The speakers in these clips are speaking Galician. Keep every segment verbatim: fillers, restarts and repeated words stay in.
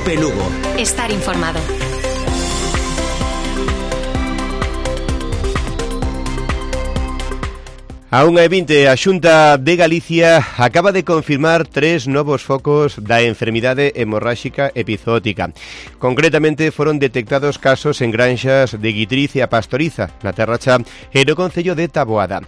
Cope Lugo. Estar informado. A unha e vinte, a Xunta de Galicia acaba de confirmar tres novos focos da enfermidade hemorráxica epizootica. Concretamente, foron detectados casos en granxas de Guitriz e a Pastoriza, na Terra Cha, e no concello de Taboada.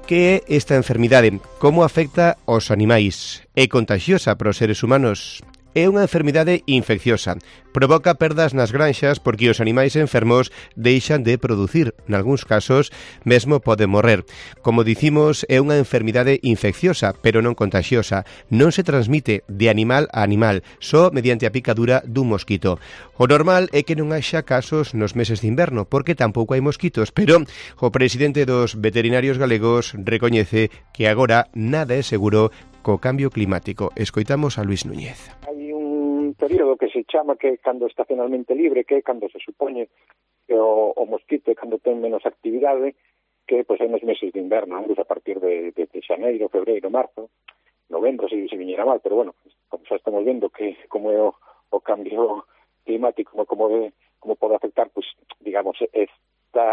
Que é esta enfermidade? Como afecta aos animais? É contagiosa para os seres humanos? É unha enfermidade infecciosa. Provoca perdas nas granxas porque os animais enfermos deixan de producir. Nalgúns casos, mesmo poden morrer. Como dicimos, é unha enfermidade infecciosa, pero non contagiosa. Non se transmite de animal a animal, só mediante a picadura dun mosquito. O normal é que non haxa casos nos meses de inverno, porque tampouco hai mosquitos, pero o presidente dos veterinarios galegos recoñece que agora nada é seguro co cambio climático. Escoitamos a Luis Núñez. Hai un período que se chama que é cando estacionalmente libre, que é cando se supoñe que o, o mosquito é cando ten menos actividade, que pois, é nos meses de inverno, a partir de, de, de xaneiro, febreiro, marzo, novembro, se, se viñera mal, pero bueno, como xa estamos vendo que como é o, o cambio climático, como, como, de, como pode afectar, pues, digamos, esta,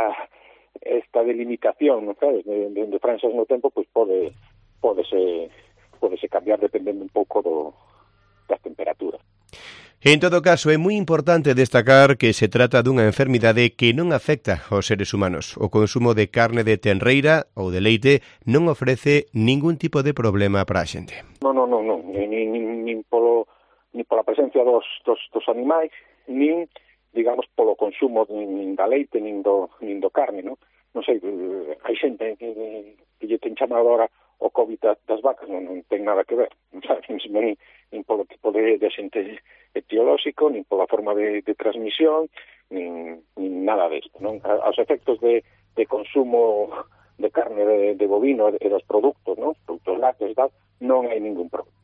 esta delimitación, ¿no sabes?, de, de, de franxas no tempo, pues pode, pode ser... podese cambiar dependendo un pouco do, das temperaturas. En todo caso, é moi importante destacar que se trata dunha enfermidade que non afecta aos seres humanos. O consumo de carne de tenreira ou de leite non ofrece ningún tipo de problema para a xente. Non, non, non, non. Nin, nin, nin, polo, nin pola presencia dos, dos, dos animais, nin, digamos, polo consumo nin da leite, nin do, nin do carne, non? Non sei, hai xente que, que lle ten chamado agora o COVID das vacas, non, non ten nada que ver, non sabes, nin, nin polo tipo de, de xente etiolóxico, nin pola forma de, de transmisión, nin, nin nada desto, non? Aos efectos de, de consumo de carne de, de bovino e dos produtos, non? Produtos lácteos, tal, non hai ningún problema.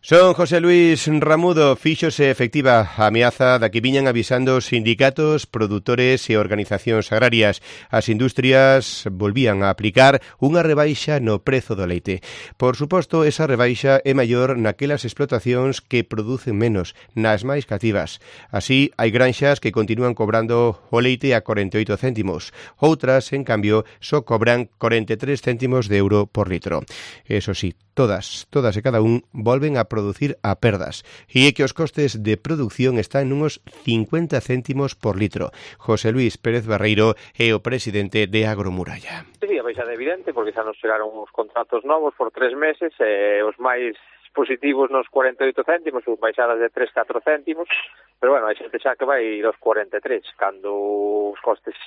Son José Luis Ramudo, fíxose efectiva a ameaza da que viñan avisando sindicatos, produtores e organizacións agrarias. As industrias volvían a aplicar unha rebaixa no prezo do leite. Por suposto, esa rebaixa é maior naquelas explotacións que producen menos, nas máis cativas. Así, hai granxas que continúan cobrando o leite a corenta e oito céntimos. Outras, en cambio, só cobran corenta e tres céntimos de euro por litro. Eso sí, todas, todas e cada un volven a producir a perdas. E é que os costes de producción están nunos cincuenta céntimos por litro. José Luis Pérez Barreiro é o presidente de Agromuralla. Sí, a baixada é evidente, porque xa nos chegaron uns contratos novos por tres meses, e os máis positivos nos cuarenta e oito céntimos, os baixadas de tres, catro céntimos, pero bueno, hai xente xa que vai dos cuarenta e tres, cando os costes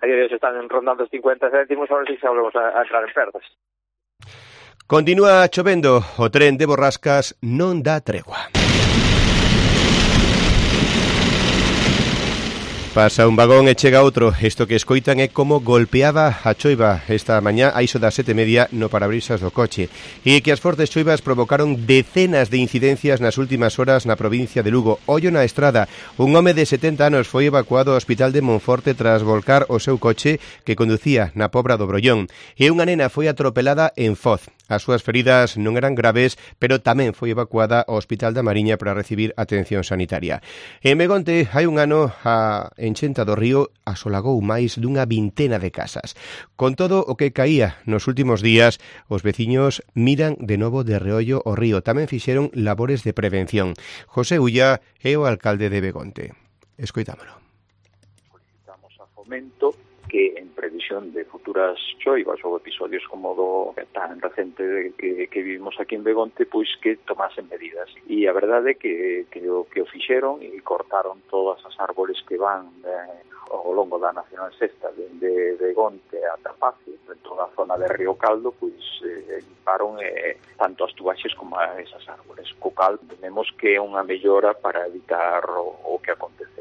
a día de hoxe están rondando os cincuenta céntimos, ahora sí xa volvemos a, a entrar en perdas. Continúa chovendo, o tren de Borrascas non dá tregua. Pasa un vagón e chega outro. Isto que escoitan é como golpeaba a choiva esta mañá a iso das sete e media no parabrisas do coche. E que as fortes choivas provocaron decenas de incidencias nas últimas horas na provincia de Lugo. Ollo na estrada, un home de setenta anos foi evacuado ao hospital de Monforte tras volcar o seu coche que conducía na Pobra do Brollón. E unha nena foi atropelada en Foz. As súas feridas non eran graves, pero tamén foi evacuada ao Hospital da Mariña para recibir atención sanitaria. En Begonte, hai un ano, a enchenta do río asolagou máis dunha vintena de casas. Con todo o que caía nos últimos días, os veciños miran de novo de reollo o río. Tamén fixeron labores de prevención. José Ulla é o alcalde de Begonte. Escoitámolo. Solicitamos a Fomento que en previsión de futuras choivas ou episodios como do tan recente que, que vivimos aquí en Begonte, pois que tomasen medidas. E a verdade é que, que, o, que o fixeron e cortaron todas as árbores que van eh, ao longo da Nacional Sexta de Begonte a Tapacio, en toda a zona de Río Caldo, pois eh, limparon eh, tanto as tubaxes como a esas árbores. Co cal, vemos que é unha mellora para evitar o, o que acontece.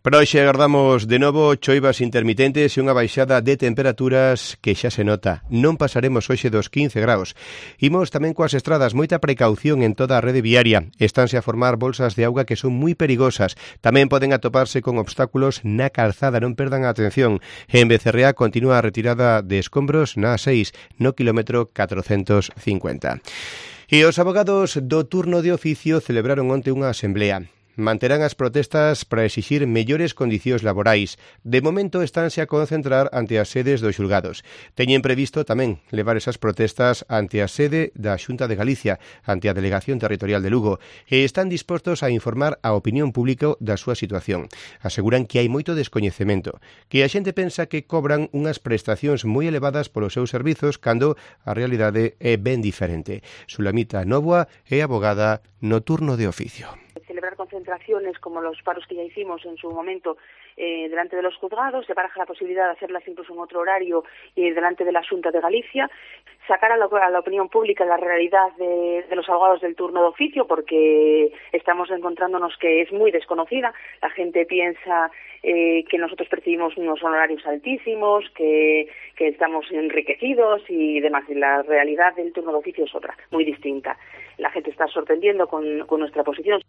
Para hoxe agardamos de novo choivas intermitentes e unha baixada de temperaturas que xa se nota. Non pasaremos hoxe dos quince graus. Imos tamén coas estradas, moita precaución en toda a rede viaria. Estánse a formar bolsas de auga que son moi perigosas. Tamén poden atoparse con obstáculos na calzada, non perdan a atención. En Becerrea continúa a retirada de escombros na A seis, no quilómetro catrocentos cincuenta. E os abogados do turno de oficio celebraron onte unha asemblea. manterán as protestas para exixir mellores condicións laborais. De momento estánse a concentrar ante as sedes dos xulgados. Teñen previsto tamén levar esas protestas ante a sede da Xunta de Galicia, ante a Delegación Territorial de Lugo, e están dispostos a informar a opinión pública da súa situación. Aseguran que hai moito descoñecemento, que a xente pensa que cobran unhas prestacións moi elevadas polos seus servizos cando a realidade é ben diferente. Sulamita Novoa é abogada no turno de oficio. Celebrar concentraciones como los paros que ya hicimos en su momento eh, delante de los juzgados, se baraja la posibilidad de hacerlas incluso en otro horario eh, delante de la Xunta de Galicia, sacar a la, a la opinión pública la realidad de, de los abogados del turno de oficio, porque estamos encontrándonos que es muy desconocida. La gente piensa eh, que nosotros percibimos unos honorarios altísimos, que, que estamos enriquecidos y demás. Y la realidad del turno de oficio es otra, muy distinta. La gente está sorprendiendo con, con nuestra posición.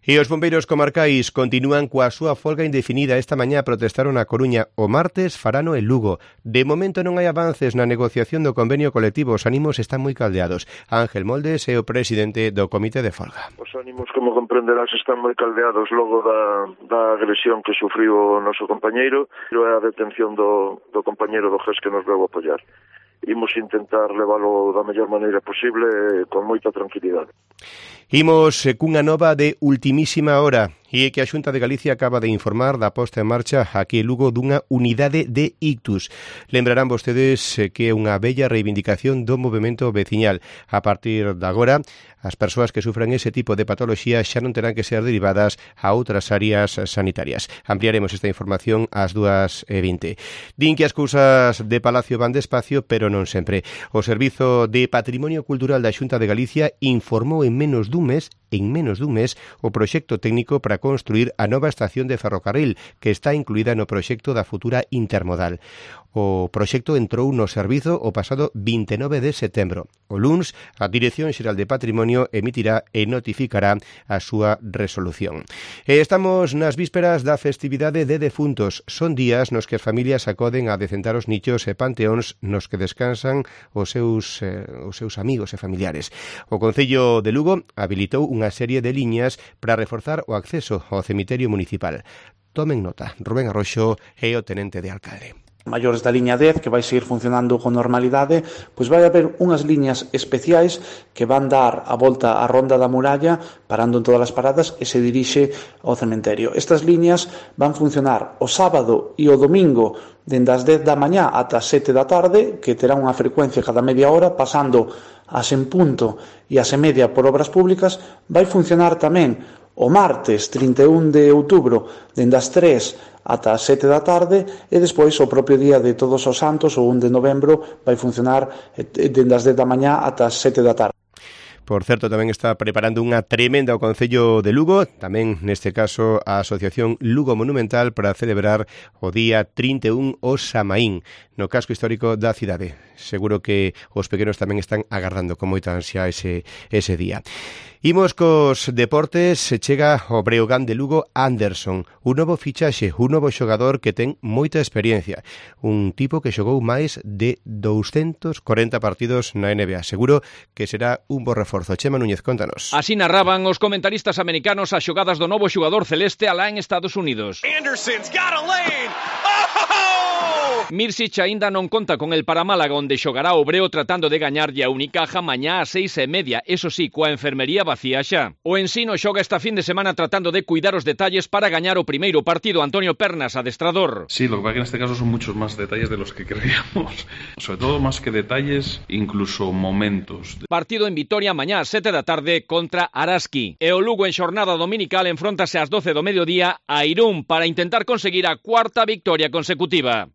E os bombeiros comarcais continúan coa súa folga indefinida. Esta mañá protestaron a Coruña, o martes farano en Lugo. De momento non hai avances na negociación do convenio colectivo, os ánimos están moi caldeados. Ángel Moldes é o presidente do comité de folga. Os ánimos, como comprenderás, están moi caldeados logo da, da agresión que sufriu o noso compañeiro e a detención do, do compañeiro do G E S que nos veu apoiar. Imos intentar leválo da mellor maneira posible con moita tranquilidade. Imos cunha nova de ultimísima hora e que a Xunta de Galicia acaba de informar da posta en marcha aquí en Lugo dunha unidade de ictus. Lembrarán vostedes que é unha bella reivindicación do movemento veciñal. A partir de agora, as persoas que sufran ese tipo de patoloxía xa non terán que ser derivadas a outras áreas sanitarias. Ampliaremos esta información ás dúas e vinte. Din que as cousas de Palacio van despacio, pero non sempre. O Servizo de Patrimonio Cultural da Xunta de Galicia informou en menos dun mes, en menos dun mes, o proxecto técnico para construir a nova estación de ferrocarril que está incluída no proxecto da futura intermodal. O proxecto entrou no servizo o pasado vinte e nove de setembro. O luns, a Dirección Xeral de Patrimonio emitirá e notificará a súa resolución. E estamos nas vísperas da festividade de defuntos. Son días nos que as familias acoden a decentar os nichos e panteóns nos que descansan os seus, eh, os seus amigos e familiares. O Concello de Lugo habilitou unha serie de liñas para reforzar o acceso ao cemiterio municipal. Tomen nota, Rubén Arroxo é o tenente de alcalde. Maiores da liña dez, que vai seguir funcionando con normalidade, pois vai haber unhas liñas especiais que van dar a volta á ronda da muralla, parando en todas as paradas e se dirixe ao cementerio. Estas liñas van funcionar o sábado e o domingo dende as dez da mañá ata as sete da tarde, que terá unha frecuencia cada media hora, pasando as en punto e as en media por obras públicas. Vai funcionar tamén o martes trinta e un de outubro dende as tres ata as sete da tarde e despois o propio día de Todos os Santos, o un de novembro, vai funcionar dende as dez da mañá ata as sete da tarde. Por certo, tamén está preparando unha tremenda o Concello de Lugo, tamén neste caso a Asociación Lugo Monumental para celebrar o día trinta e un o Samaín no casco histórico da cidade. Seguro que os pequenos tamén están agardando con moita ansia ese, ese día. Imos cos deportes, se chega o Breogán de Lugo Anderson, un novo fichaxe, un novo xogador que ten moita experiencia, un tipo que xogou máis de doscientos cuarenta partidos na N B A. Seguro que será un bo reforzo. Chema Núñez, contanos. Así narraban os comentaristas americanos as xogadas do novo xogador celeste alá en Estados Unidos. Anderson's got a lane. Oh! Mirsic aínda non conta con el para Málaga, onde xogará o Breo tratando de gañarlle a Unicaja mañá ás seis e media, eso sí, coa enfermería vacía xa. O Ensino xoga esta fin de semana tratando de cuidar os detalles para gañar o primeiro partido. Antonio Pernas, adestrador. Sí, lo que pasa que en este caso son muchos más detalles de los que creíamos. Sobre todo más que detalles, incluso momentos. Partido en Vitoria mañá ás sete da tarde contra Araski. E o Lugo en xornada dominical enfróntase ás doce do mediodía a Irún para intentar conseguir a cuarta victoria consecutiva.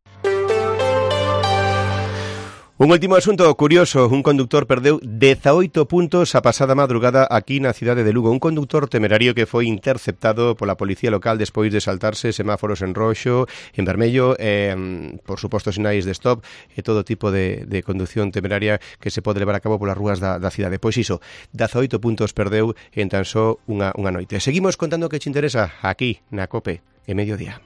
Un último asunto curioso, un conductor perdeu dezaoito puntos a pasada madrugada aquí na cidade de Lugo. Un conductor temerario que foi interceptado pola policía local despois de saltarse semáforos en roxo, en vermello, eh, por suposto sinais de stop e todo tipo de, de conducción temeraria que se pode levar a cabo polas rúas da, da cidade. Pois iso, dezaoito puntos perdeu en tan só unha, unha noite. Seguimos contando que che interesa aquí na COPE, en mediodía.